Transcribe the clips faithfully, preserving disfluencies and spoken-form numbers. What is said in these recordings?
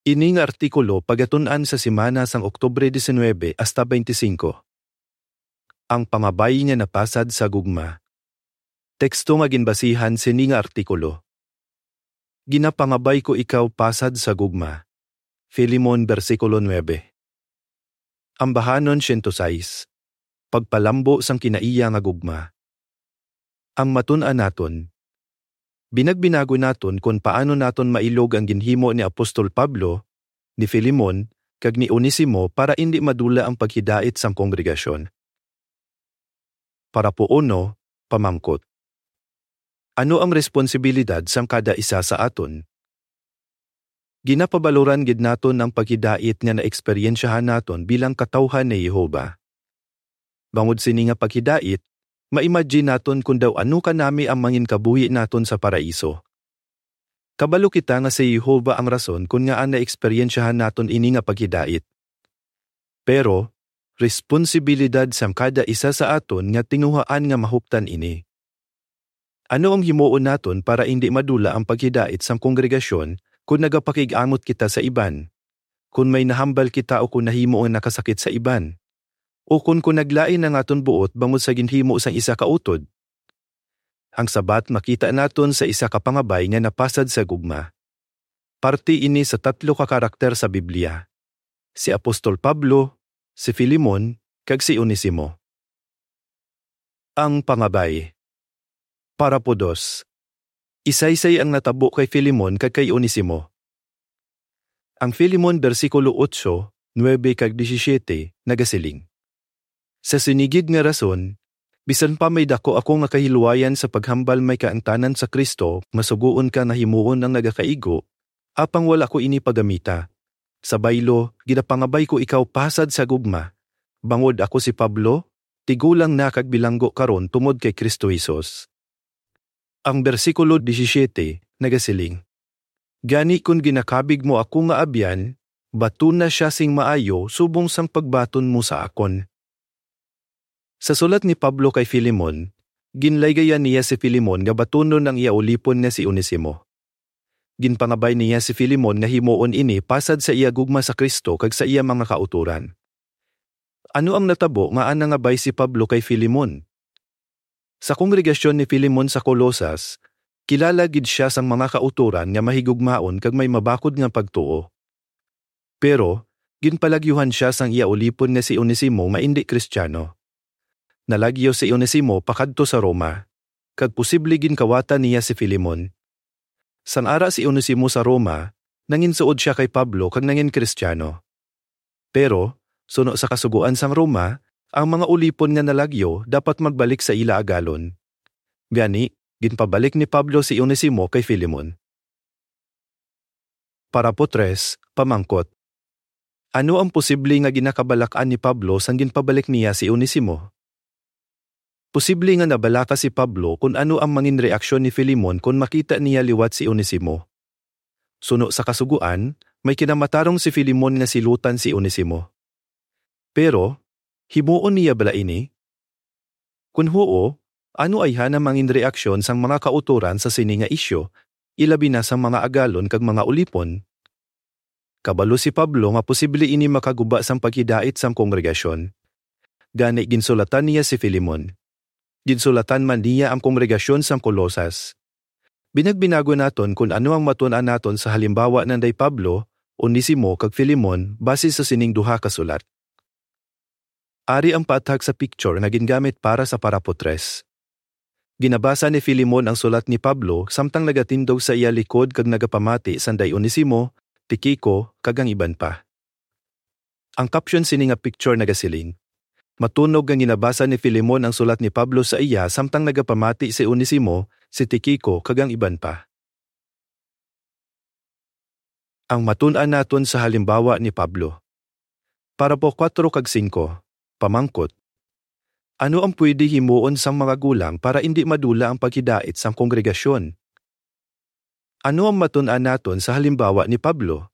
Ini nga artikulo pagatun-an sa semana sang Oktubre diecinuebe hasta veinticinco. Ang pangabay nga napasad sa gugma. Teksto nga ginbasihan sini nga artikulo. Ginapangabay ko ikaw pasad sa gugma. Filemon, bersikulo nuebe. Ambahanon siyento sais. Pagpalambo sang kinaiya nga gugma. Ang matun-an naton. Binagbinago naton kon paano naton mailog ang ginhimo ni Apostol Pablo, ni Filemon, kag ni Onesimo para indi madula ang paghidait sang kongregasyon. Parapo uno, pamangkot. Ano ang responsibilidad sang kada isa sa aton? Ginapabaloran gid naton ang paghidait nga naeksperyensyahan naton bilang katawuhan ni Jehovah. Bangod sini nga paghidait, ma-imagine naton kon daw ano kanami ang manginkabuhi naton sa Paraiso. Kabalo kita nga si Jehovah ang rason kon ngaa naeksperyensyahan naton ini nga paghidait. Pero, responsibilidad sang kada isa sa aton nga tinguhaan nga mahuptan ini. Ano ang himuon naton para indi madula ang paghidait sang kongregasyon kon nagapakig-amot kita sa iban, kon may nahambal kita o kon nahimo ang nakasakit sa iban, o kon, kon naglain ang aton buot bangod sa ginhimo sang isa ka utod? Ang sabat makita naton sa isa ka pangabay nga napasad sa gugma. Parte ini sa tatlo ka karakter sa Biblia, si Apostol Pablo, si Filemon, kag si Onesimo. Ang pangabay. Parapo dos. Isaysay ang natabo kay Filemon kag kay Onesimo. Ang Filemon, bersikulo otso, nuebe, kag disisiete, nagasiling, "Sa sini gid nga rason, bisan pa may daku ako nga kahilwayan sa paghambal may kaangtanan sa Cristo, masugoon ka nga himuon ang nagakaigo, apang wala ko ini pagamita. Sa baylo, ginapangabay ko ikaw pasad sa gugma, bangod ako si Pablo, tigulang na kag bilanggo karon tungod kay Cristo Jesus." Ang bersikulo disisiete nagasiling, "Gani kon ginakabig mo ako nga abyan, batuna sia sing maayo subong sang pagbaton mo sa akon." Sa sulat ni Pablo kay Filemon, ginlaygayan niya si Filemon nga batunon ang iya ulipon nga si Onesimo. Ginpangabay niya si Filemon nga himuon ini pasad sa iya gugma sa Cristo kag sa iya mga kautoran. Ano ang natabo nga ana nga bay si Pablo kay Filemon? Sa kongregasyon ni Filemon sa Colosas, kilala gid sia sang mga kautoran nga mahigugmaon kag may mabakod nga pagtuo. Pero, ginpalagyuhan sia sang iya ulipon nga si Onesimo nga indi Kristiano. Nalagyo si Onesimo pakadto sa Roma, kag posible ginkawatan niya si Filemon. Sang ara si Onesimo sa Roma, nanginsuod sia kay Pablo kag nangin-Kristiano. Pero, suno sa kasugoan sang Roma, ang mga ulipon nga nalagyo dapat magbalik sa ila agalon. Gani, ginpabalik ni Pablo si Onesimo kay Filemon. Parapo tres, pamangkot. Ano ang posible nga ginakabalak-an ni Pablo sang ginpabalik niya si Onesimo? Posible nga nabalaka si Pablo kon ano ang mangin reaksyon ni Filemon kon makita niya liwat si Onesimo. Suno sa kasugoan, may kinamatarong si Filemon nga silutan si Onesimo. Pero, himuon niya bala ini? Kon huo, ano ayhan ang mangin reaksyon sang mga kautoran sa sini nga isyu, ilabi na sang mga agalon kag mga ulipon? Kabalo si Pablo nga posible ini makaguba sang paghidait sang kongregasyon. Gani, ginsulatan niya si Filemon. Ginsulatan man niya ang kongregasyon sang Colosas. Binagbinago naton kon ano ang matun-an naton sa halimbawa nanday Pablo, Onesimo, kag Filemon base sa sining duha ka sulat. Ari ang paathag sa picture nga gingamit para sa parapo tres. Ginabasa ni Filemon ang sulat ni Pablo samtang nagatindog sa iya likod kag nagapamati sanday Onesimo, Tiquico, kag ang iban pa. Ang caption sini nga picture nagasiling, "Matunog nga ginabasa ni Filemon ang sulat ni Pablo sa iya samtang nagapamati si Onesimo, si Tiquico, kag ang iban pa." Ang matun-an naton sa halimbawa ni Pablo. Parapo kuwatro kag singko, pamangkot. Ano ang pwede himuon sang mga gulang para indi madula ang paghidait sang kongregasyon? Ano ang matun-an naton sa halimbawa ni Pablo?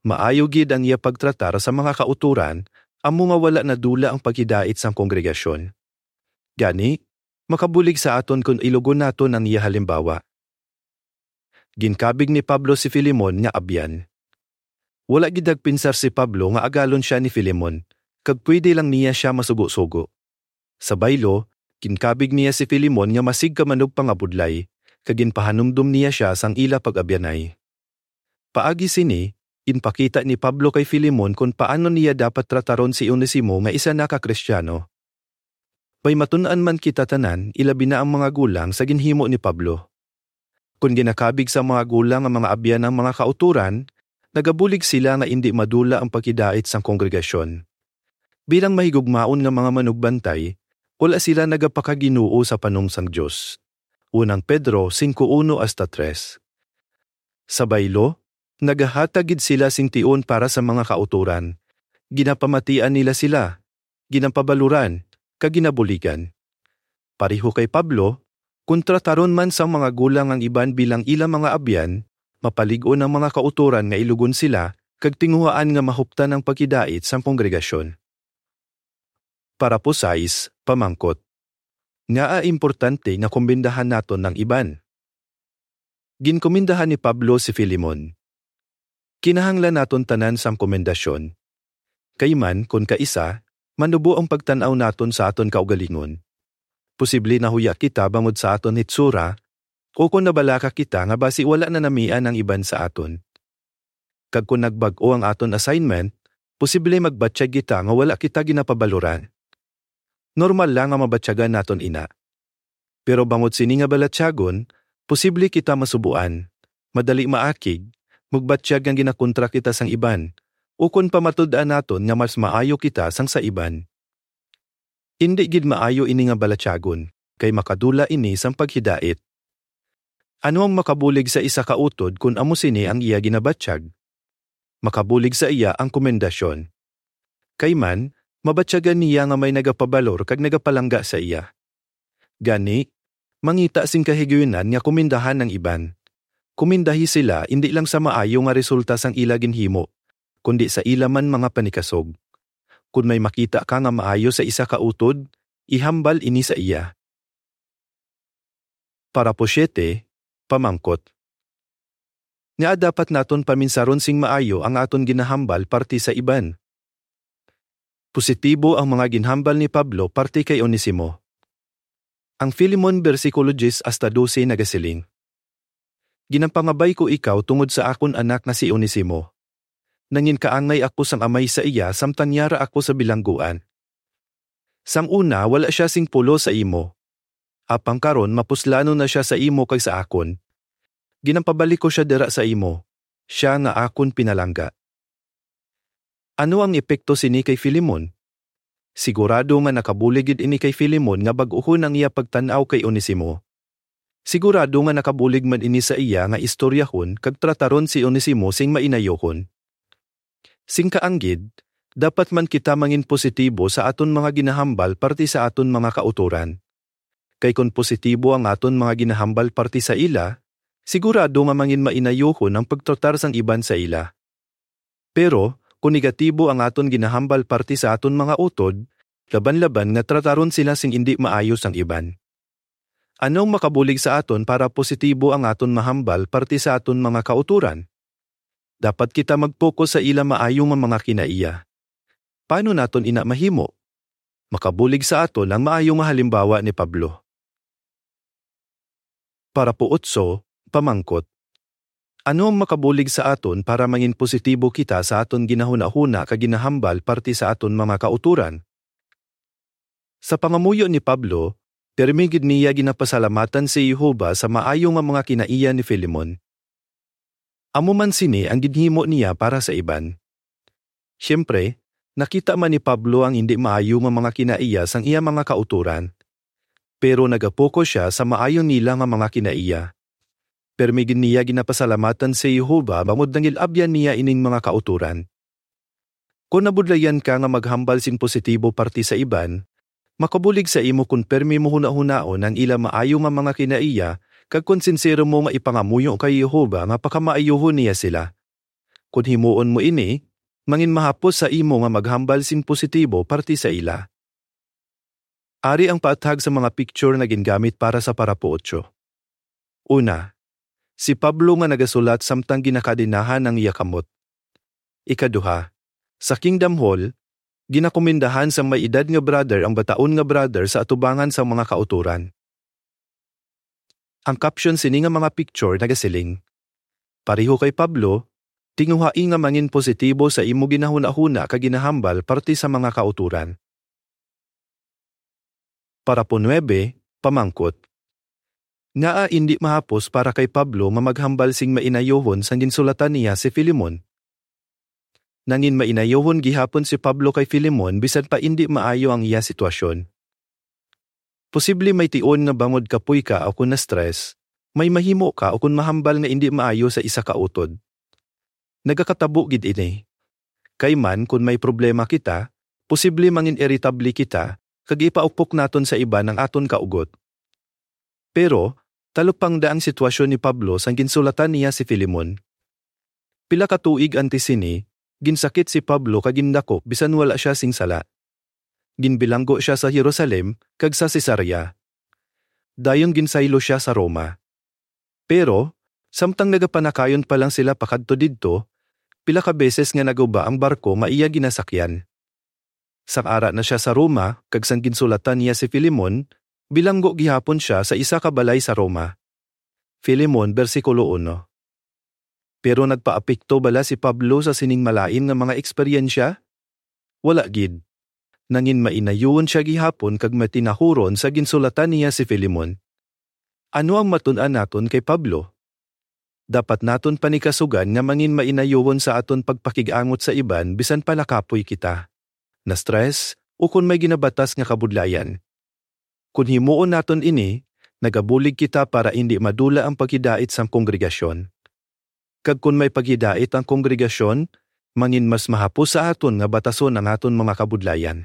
Maayo gid ang iya pagtratar sa mga kautoran, amo nga wala nadula ang paghidait sang kongregasyon. Gani, makabulig sa aton kon ilugon naton ang iya halimbawa. Ginkabig ni Pablo si Filemon nga abyan. Wala gid nagpinsar si Pablo nga agalon sia ni Filemon, kag pwede lang niya sia masugo-sugo. Sa baylo, ginkabig niya si Filemon nga masigkamanugpangabudlay, kag ginpahanumdom niya sia sang ila pag-abyanay. Paagi sini, ginpakita ni Pablo kay Filemon kon paano niya dapat trataron si Onesimo nga isa na ka Kristiano. May matun-an man kita tanan, ilabi na ang mga gulang, sa ginhimo ni Pablo. Kon ginakabig sang mga gulang ang mga abyan ang mga kautoran, nagabulig sila nga indi madula ang paghidait sang kongregasyon. Bilang mahigugmaon nga mga manugbantay, wala sila nagapakaginoo sa panong sang Dios. Unang Pedro singko uno hasta tres. Sa baylo, nagahatag gid sila sing tion para sa mga kautoran. Ginapamatian nila sila, ginapabaluran, kag ginabuligan. Pareho kay Pablo, kon trataron man sang mga gulang ang iban bilang ila mga abyan, mapalig-on ang mga kautoran nga ilugon sila, kag tinguhaan nga mahuptan ang paghidait sang kongregasyon. Parapo sais, pamangkot. Ngaa importante nga kumindahan naton ang iban? Ginkumindahan ni Pablo si Filemon. Kinahanglan naton tanan sang komendasyon. Kay man kon kaisa, manubo ang pagtan-aw naton sa aton kaugalingon. Posible nahuya kita bangod sa aton hitsura, o kon nabalaka kita nga basi wala na namian ang iban sa aton. Kag kon nagbag-o ang aton assignment, posible magbatyag kita nga wala kita ginapabaluran. Normal lang nga mabatyagan naton ina. Pero bangod sini nga balatyagon, posible kita masubuan, madali maakig, magbatyag nga ginakontra kita sang iban, ukon pa matud-an naton nga mas maayo kita sang sa iban. Indi gid maayo ini nga balatyagon, kay makadula ini sang paghidait. Ano ang makabulig sa isa ka utod kon amo sini ang iya ginabatyag? Makabulig sa iya ang komendasyon. Kay man, mabatyagan niya nga may nagapabalor kag nagapalangga sa iya. Gani, mangita sing kahigayunan nga kumindahan ang iban. Kumindahi sila indi lang sa maayo nga resulta sang ila ginhimo, kundi sa ila man mga panikasog. Kon may makita ka nga maayo sa isa ka utod, ihambal ini sa iya. Parapo siete, pamangkot. Ngaa dapat naton paminsaron sing maayo ang aton ginahambal parte sa iban? Positibo ang mga ginhambal ni Pablo parte kay Onesimo. Ang Filemon bersikulo diyes hasta dose nagasiling, "Ginapangabay ko ikaw tungod sa akon anak nga si Onesimo. Nanginkaangay ako sang amay sa iya samtang yara ako sa bilangguan. Sang una wala sia sing pulos sa imo, apang karon mapuslanon na sia sa imo kag sa akon. Ginapabalik ko sia dira sa imo, sia nga akon pinalangga." Ano ang epekto sini kay Filemon? Sigurado nga nakabulig gid ini kay Filemon nga bag-ohon ang iya pagtan-aw kay Onesimo. Sigurado nga nakabulig man ini sa iya nga istoryahon kag trataron si Onesimo sing mainayohon. Sing kaanggid, dapat man kita mangin positibo sa aton mga ginahambal parte sa aton mga kautoran. Kay kon positibo ang aton mga ginahambal parte sa ila, sigurado nga mangin mainayohon ang pagtratar sang iban sa ila. Pero, kon negatibo ang aton ginahambal parte sa aton mga utod, laban-laban nga trataron sila sing indi maayo sang iban. Ano ang makabulig sa aton para positibo ang aton mahambal parte sa aton mga kautoran? Dapat kita mag-focus sa ila maayo nga mga kinaiya. Paano naton ina mahimo? Makabulig sa aton ang maayo nga halimbawa ni Pablo. Parapo otso, pamangkot. Ano ang makabulig sa aton para mangin positibo kita sa aton ginahunahuna kag ginahambal parte sa aton mga kautoran? Sa pangamuyo ni Pablo, pirme gid niya ginapasalamatan si Jehovah sa maayo nga mga kinaiya ni Filemon. Amo man sini ang ginhimo niya para sa iban. Siyempre, nakita man ni Pablo ang indi maayo nga mga kinaiya sang iya mga kautoran. Pero nagapokus sia sa maayo nila nga mga kinaiya. Pirme gid niya ginapasalamatan si Jehovah bangod nangin-abyan niya ining mga kautoran. Kon nabudlayan ka nga maghambal sing positibo parte sa iban, makabulig sa imo kon pirme mo hunahunaon ang ila maayo nga mga kinaiya kag kon sinsero mo nga ipangamuyo kay Jehovah nga pakamaayuhon niya sila. Kon himuon mo ini, mangin mahapos sa imo nga maghambal sing positibo parte sa ila. Ari ang paathag sa mga picture nga gingamit para sa parapo otso. Una, si Pablo nga nagasulat samtang ginakadenahan ang iya kamot. Ikaduha, sa Kingdom Hall, ginakomendahan sang may edad nga brother ang bataon nga brother sa atubangan sang mga kautoran. Ang caption sini nga mga picture nagasiling, "Pareho kay Pablo, tinguhai nga mangin positibo sa imo ginahunahuna kag ginahambal parte sa mga kautoran." Parapo nuebe, pamangkot. Ngaa indi mahapos para kay Pablo nga maghambal sing mainayohon sang ginsulatan niya si Filemon? Nangin mainayohon gihapon si Pablo kay Filemon bisan pa indi maayo ang iya sitwasyon. Posible may tion nga bangod kapoy ka o kon na-stress, may mahimo ka o kon mahambal nga indi maayo sa isa ka utod. Nagakatabo gid ini. Kay man kon may problema kita, posible mangin-iritable kita, kag ipaupok naton sa iban ang aton kaugot. Pero, talupangda ang sitwasyon ni Pablo sang ginsulatan niya si Filemon. Pila ka tuig antes sini, ginsakit si Pablo kag gindakop bisan wala sia sing sala. Ginbilanggo sia sa Jerusalem kag sa Cesarea. Dayon ginsaylo sia sa Roma. Pero, samtang nagapanakayon pa lang sila pakadto didto, pila ka beses nga naguba ang barko nga iya ginasakyan. Sang ara na sia sa Roma, kag sang ginsulatan niya si Filemon, bilanggo gihapon sia sa isa ka balay sa Roma. Filemon, bersikulo uno. Pero nagpaapekto bala si Pablo sa sining malain nga mga eksperyensya? Wala gid. Nangin mainayohon sia gihapon kag matinahuron sa ginsulatan niya si Filemon. Ano ang matun-an naton kay Pablo? Dapat naton panikasugan nga mangin mainayohon sa aton pagpakig-angot sa iban bisan pa nakapoy kita, na-stress, o kon may ginabatas nga kabudlayan. Kon himuon naton ini, nagabulig kita para indi madula ang paghidait sang kongregasyon. Kag kon may paghidait ang kongregasyon, mangin mas mahapos sa aton nga batason ang aton mga kabudlayan.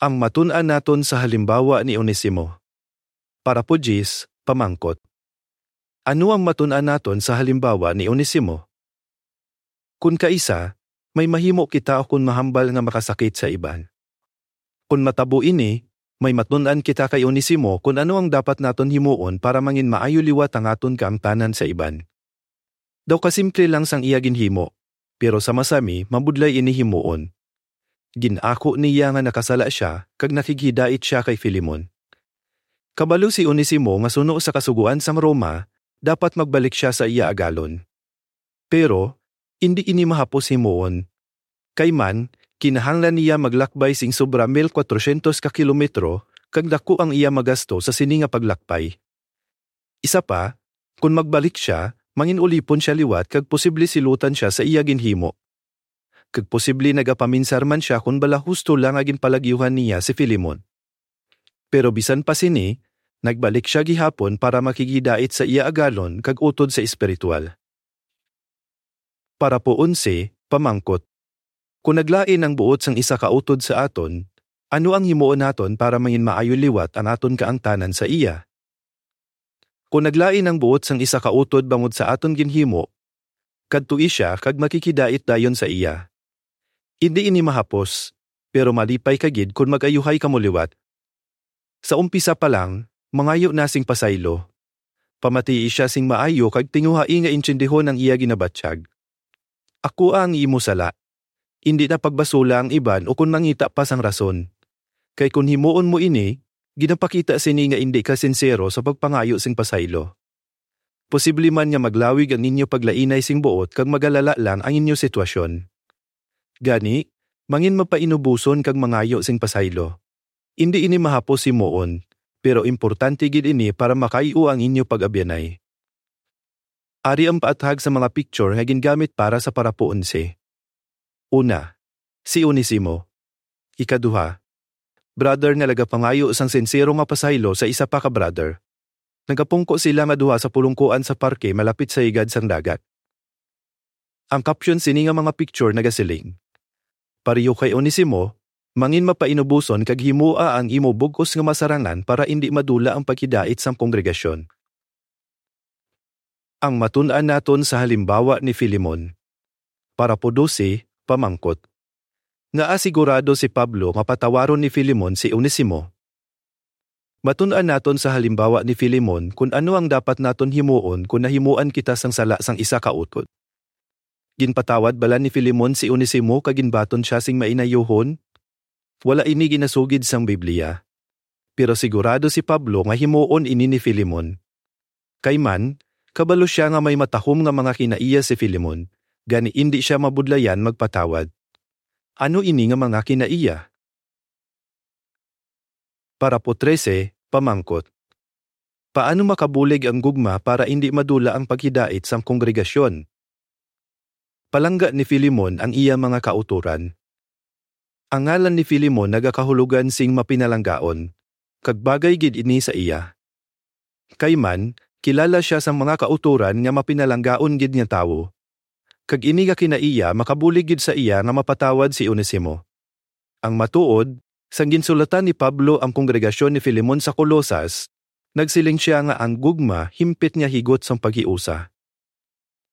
Ang matun-an naton sa halimbawa ni Onesimo. Parapo diyes, pamangkot. Ano ang matun-an naton sa halimbawa ni Onesimo? Kon kaisa, may mahimo kita kon mahambal nga makasakit sa iban. Kon matabo ini, may matun-an kita kay Onesimo kon ano ang dapat naton himuon para mangin maayo liwat ang aton kaangtanan sa iban. Daw kasimple lang sang iya ginhimo, pero sa masami mabudlay ini himuon. Gin-ako niya nga nakasala sia kag nakighidait sia kay Filemon. Kabalo si Onesimo nga suno sa kasugoan sang Roma, dapat magbalik sia sa iya agalon. Pero, indi ini mahapos himuon. Kay man, kinahanglan niya maglakbay sing sobra mil kwatrosyentos ka kilometro, kag daku ang iya magasto sa sini nga paglakbay. Isa pa, kon magbalik sia, mangin-ulipon sia liwat kag posible silutan sia sa iya ginhimo. Kag posible nagapaminsar man sia kon bala husto lang nga ginpalagyuhan niya si Filemon. Pero bisan pa sini, nagbalik sia gihapon para makighidait sa iya agalon kag utod sa espiritual. Parapo onse, pamangkot. Kon naglain ang buot sang isa ka utod sa aton, ano ang himuon naton para mangin maayo liwat ang aton kaangtanan sa iya? Kon naglain ang buot sang isa ka utod bangod sa aton ginhimo, kadtoi sia kag makighidait dayon sa iya. Indi ini mahapos, pero malipay ka gid kon mag-ayuhay kamo liwat. Sa umpisa pa lang, mangayo na sing pasaylo. Pamatii sia sing maayo kag tinguhai nga intindihon ang iya ginabatyag. Akoa ang imo sala. Indi na pagbasula ang iban ukon mangita pa sang rason. Kay kon himuon mo ini, ginapakita sini nga indi ka sinsero sa pagpangayo sing pasaylo. Posible man nga maglawig ang inyo paglainay sing buot kag magalala lang ang inyo sitwasyon. Gani, mangin mapainuboson kag mangayo sing pasaylo. Indi ini mahapos himuon, pero importante gid ini para makayo ang inyo pag-abyanay. Ari ang paathag sa mga picture nga gingamit para sa parapo onse. Una, si Onesimo. Ikaduha, brother nga nagapangayo sang sinsero nga pasaylo sa isa pa ka brother. Nagapungko sila nga duha sa pulongkoan sa parke malapit sa higad sang dagat. Ang caption sini nga mga picture nagasiling, "Pareho kay Onesimo, mangin mapainuboson kag himoa ang imo bug-os nga masarangan para indi madula ang paghidait sang kongregasyon." Ang matun-an naton sa halimbawa ni Filemon. Parapo dose, pamangkot. Ngaa sigurado si Pablo nga patawaron ni Filemon si Onesimo? Matun-an naton sa halimbawa ni Filemon kon ano ang dapat naton himuon kon nahimuan kita sang sala sang isa ka utod. Ginpatawad bala ni Filemon si Onesimo kag ginbaton sia sing mainayuhon? Wala ini ginasugid sang Biblia. Pero sigurado si Pablo nga himuon ini ni Filemon. Kay man, kabalo sia nga may matahom nga mga kinaiya si Filemon, gani indi sia mabudlayan magpatawad. Ano ini nga mga kinaiya? Parapo trese, pamangkot. Paano makabulig ang gugma para indi madula ang paghidait sang kongregasyon? Palangga ni Filemon ang iya mga kautoran. Ang ngalan ni Filemon nagakahulogan sing mapinalanggaon, kag bagay gid ini sa iya. Kay man, kilala sia sang mga kautoran nga mapinalanggaon gid nga tawo. Kag ini nga kinaiya makabulig gid sa iya nga mapatawad si Onesimo. Ang matuod, sang ginsulatan ni Pablo ang kongregasyon ni Filemon sa Colosas, nagsiling sia nga ang gugma himpit nga higot sang paghiusa.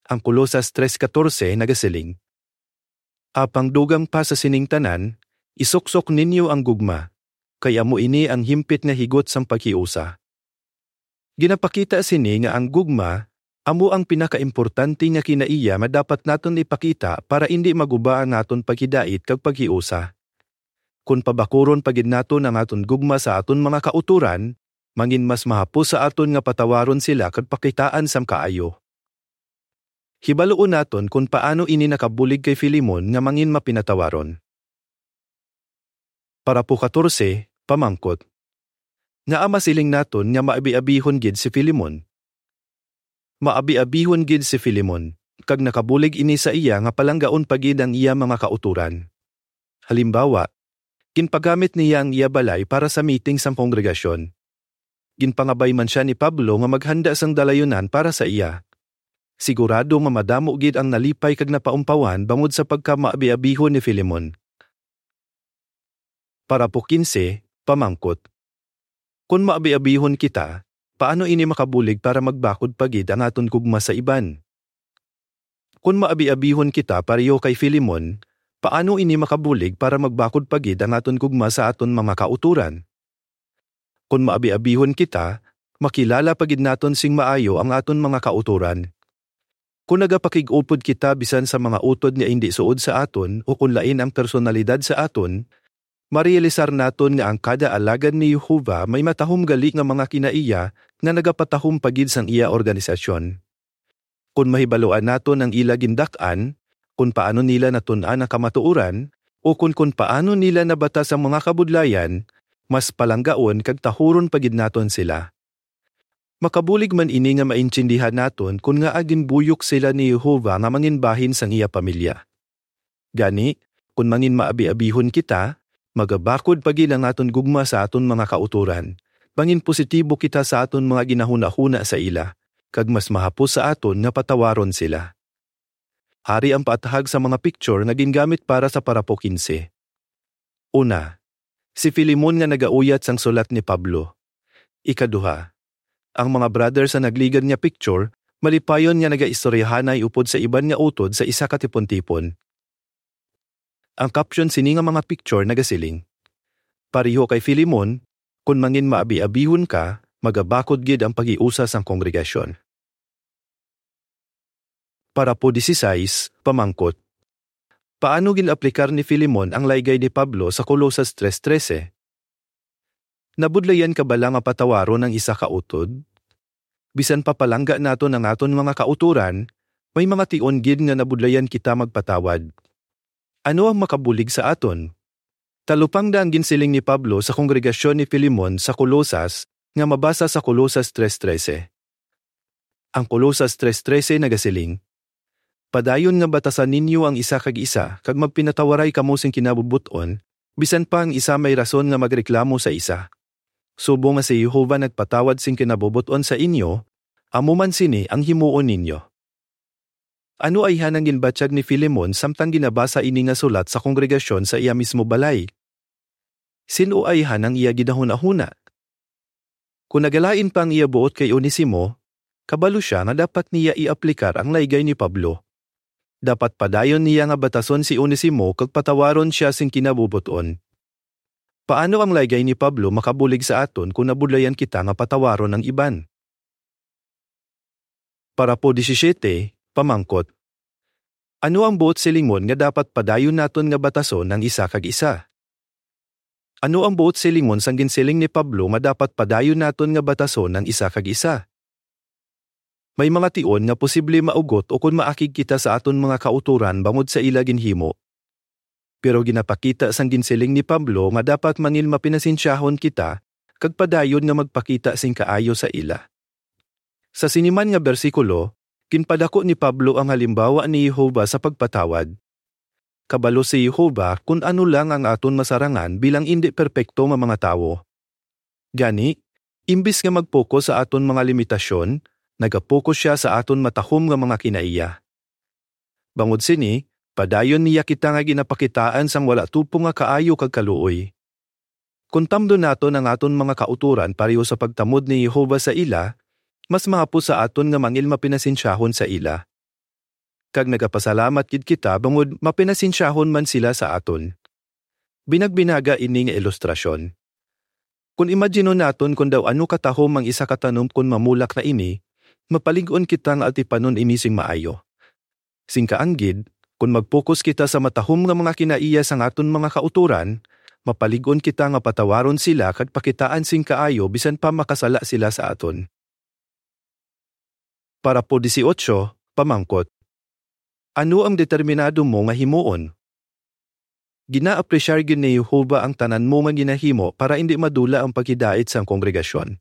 Ang Colosas tres catorce nagasiling, "Apang dugang pa sa sining tanan, isuksok ninyo ang gugma, kay amo ini ang himpit nga higot sang paghiusa." Ginapakita sini nga ang gugma amo ang pinakaimportante nga kinaiya nga dapat naton ipakita para indi maguba ang aton paghidait kag paghiusa. Kon pabakuron pa gid naton ang aton gugma sa aton mga kautoran, mangin mas mahapos sa aton nga patawaron sila kag pakitaan sang kaayo. Hibaluon naton kon paano ini nakabulig kay Filemon nga mangin mapinatawaron. Parapo katorse, pamangkot. Ngaa masiling naton nga maabiabihon gid si Filemon? Maabiabihon gid si Filemon, kag nakabulig ini sa iya nga palanggaon pa gid ang iya mga kautoran. Halimbawa, ginpagamit niya ang iya balay para sa meeting sang kongregasyon. Ginpangabay man sia ni Pablo nga maghanda sang dalayunan para sa iya. Sigurado nga madamo gid ang nalipay kag napaumpawan bangod sa pagkamaabiabihon ni Filemon. Parapo kinse, pamangkot. Kon maabiabihon kita, paano ini makabulig para magbakod pa gid ang aton gugma sa iban? Kon maabiabihon kita pareho kay Filemon, paano ini makabulig para magbakod pa gid ang aton gugma sa aton mga kautoran? Kon maabiabihon kita, makilala pa gid naton sing maayo ang aton mga kautoran. Kon nagapakig-upod kita bisan sa mga utod nga indi suod sa aton o kon lain ang personalidad sa aton, marealisar naton nga ang kada alagad ni Jehovah may matahom gali nga mga kinaiya nga nagapatahom pa gid sang iya organisasyon. Kon mahibaluan naton ang ila gindak-an, kon paano nila natun-an ang kamatuoran, o kon, kon paano nila nabatas ang mga kabudlayan, mas palanggaon kag tahuron pa gid naton sila. Makabulig man ini nga maintindihan naton kon ngaa ginbuyok sila ni Jehovah nga manginbahin sang iya pamilya. Gani, kon mangin maabiabihon kita, magabakod pa gid ang aton gugma sa aton mga kautoran. Mangin positibo kita sa aton mga ginahunahuna sa ila, kag mas mahapos sa aton nga patawaron sila. Ari ang paathag sa mga picture nga gingamit para sa parapo kinse. Una, si Filemon nga nagauyat sang sulat ni Pablo. Ikaduha, ang mga brother sa nagligad nga picture, malipayon nga nagaistoryahanay upod sa iban nga utod sa isa ka tipon-tipon. Ang caption sini nga mga picture nagasiling, "Pareho kay Filemon, kon mangin maabiabihon ka, magabakod gid ang paghiusa sang kongregasyon." Parapo dieciséis, pamangkot. Paano gin-aplikar ni Filemon ang laygay ni Pablo sa Colosas tres trese? Nabudlayan ka bala nga patawaron ang isa ka utod? Bisan pa palangga naton ang aton mga kautoran, may mga tion gid nga nabudlayan kita magpatawad. Ano ang makabulig sa aton? Talupangda ang ginsiling ni Pablo sa kongregasyon ni Filemon sa Colosas nga mabasa sa Colosas tres trese. Ang Colosas tres trese nagasiling, "Padayon nga batasan ninyo ang isa kag isa, kag magpinatawaray kamo sing kinabubot-on, bisan pa ang isa may rason nga magreklamo sa isa. Subong nga si Jehovah nagpatawad sing kinabubot-on sa inyo, amo man sini ang himuon ninyo." Ano ayhan ang ginbatyag ni Filemon samtang ginabasa ini nga sulat sa kongregasyon sa iya mismo balay? Sin-o ayhan ang iya ginahunahuna? Kon nagalain pa ang iya buot kay Onesimo, kabalo sia nga dapat niya i-aplikar ang laygay ni Pablo. Dapat padayon niya nga batason si Onesimo kag patawaron sia sing kinabubot-on. Paano ang laygay ni Pablo makabulig sa aton kon nabudlayan kita nga patawaron ang iban? Parapo disisyete, pamangkot. Ano ang buot silingon nga dapat padayon naton nga batason ang isa kag isa? Ano ang buot silingon sang ginsiling ni Pablo nga dapat padayon naton nga batason ang isa kag isa? May mga tion nga posible maugot ukon maakig kita sa aton mga kautoran bangod sa ila ginhimo. Pero ginapakita sang ginsiling ni Pablo nga dapat mangin mapinasensyahon kita kag padayon nga magpakita sing kaayo sa ila. Sa sini man nga bersikulo, ginpadako ni Pablo ang halimbawa ni Jehovah sa pagpatawad. Kabalo si Jehovah kon ano lang ang aton masarangan bilang indi perpekto nga mga tawo. Gani, imbis nga mag-focus sa aton mga limitasyon, naga-focus sia sa aton matahom nga mga kinaiya. Bangod sini, padayon niya kita nga ginapakitaan sang wala tupong nga kaayo kag kaluoy. Kon tamdon naton ang aton mga kautoran pareho sa pagtamod ni Jehovah sa ila, mas mahapos sa aton nga mangin mapinasensyahon sa ila. Kag nagapasalamat gid kita bangod mapinasensyahon man sila sa aton. Binagbinaga ini nga ilustrasyon. Kon imaginon naton kon daw ano katahom ang isa ka tanom kon mamulak na ini, mapalig-on kita nga atipanon ini sing maayo. Sing kaanggid, kon mag-focus kita sa matahom nga mga kinaiya sang aton mga kautoran, mapalig-on kita nga patawaron sila kag pakitaan sing kaayo bisan pa makasala sila sa aton. Parapo dieciocho, pamangkot. Ano ang determinado mo nga himuon? Gina-apresyar gid ni Jehovah ang tanan mo nga ginahimo para indi madula ang paghidait sang kongregasyon.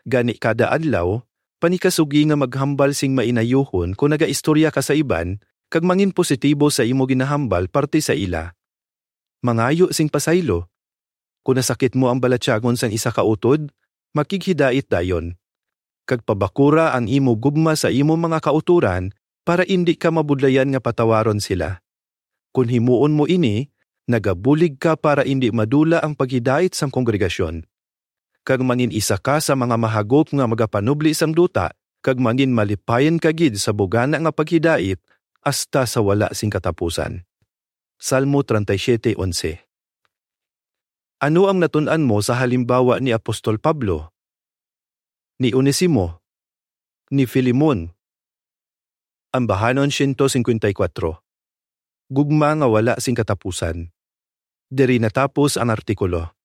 Gani kada adlaw, panikasugi nga maghambal sing mainayuhon kon nagaistorya ka sa iban kag mangin positibo sa imo ginahambal parte sa ila. Mangayo sing pasaylo. Kon nasakit mo ang balatyagon sang isa ka utod, makighidait dayon, kag pabakura ang imo gugma sa imo mga kautoran para indi ka mabudlayan nga patawaron sila. Kon himuon mo ini, nagabulig ka para indi madula ang paghidait sang kongregasyon, kag mangin isa ka sa mga mahagop nga magapanubli sang duta, kag mangin malipayan ka gid sa bugana nga paghidait hasta sa wala sing katapusan. Salmo treinta y siete once. Ano ang natun-an mo sa halimbawa ni Apostol Pablo, ni Onesimo, ni Filemon? Ambahanon siyento singkwenta y kuwatro. Gugma nga wala sing katapusan. Diri natapos ang artikulo.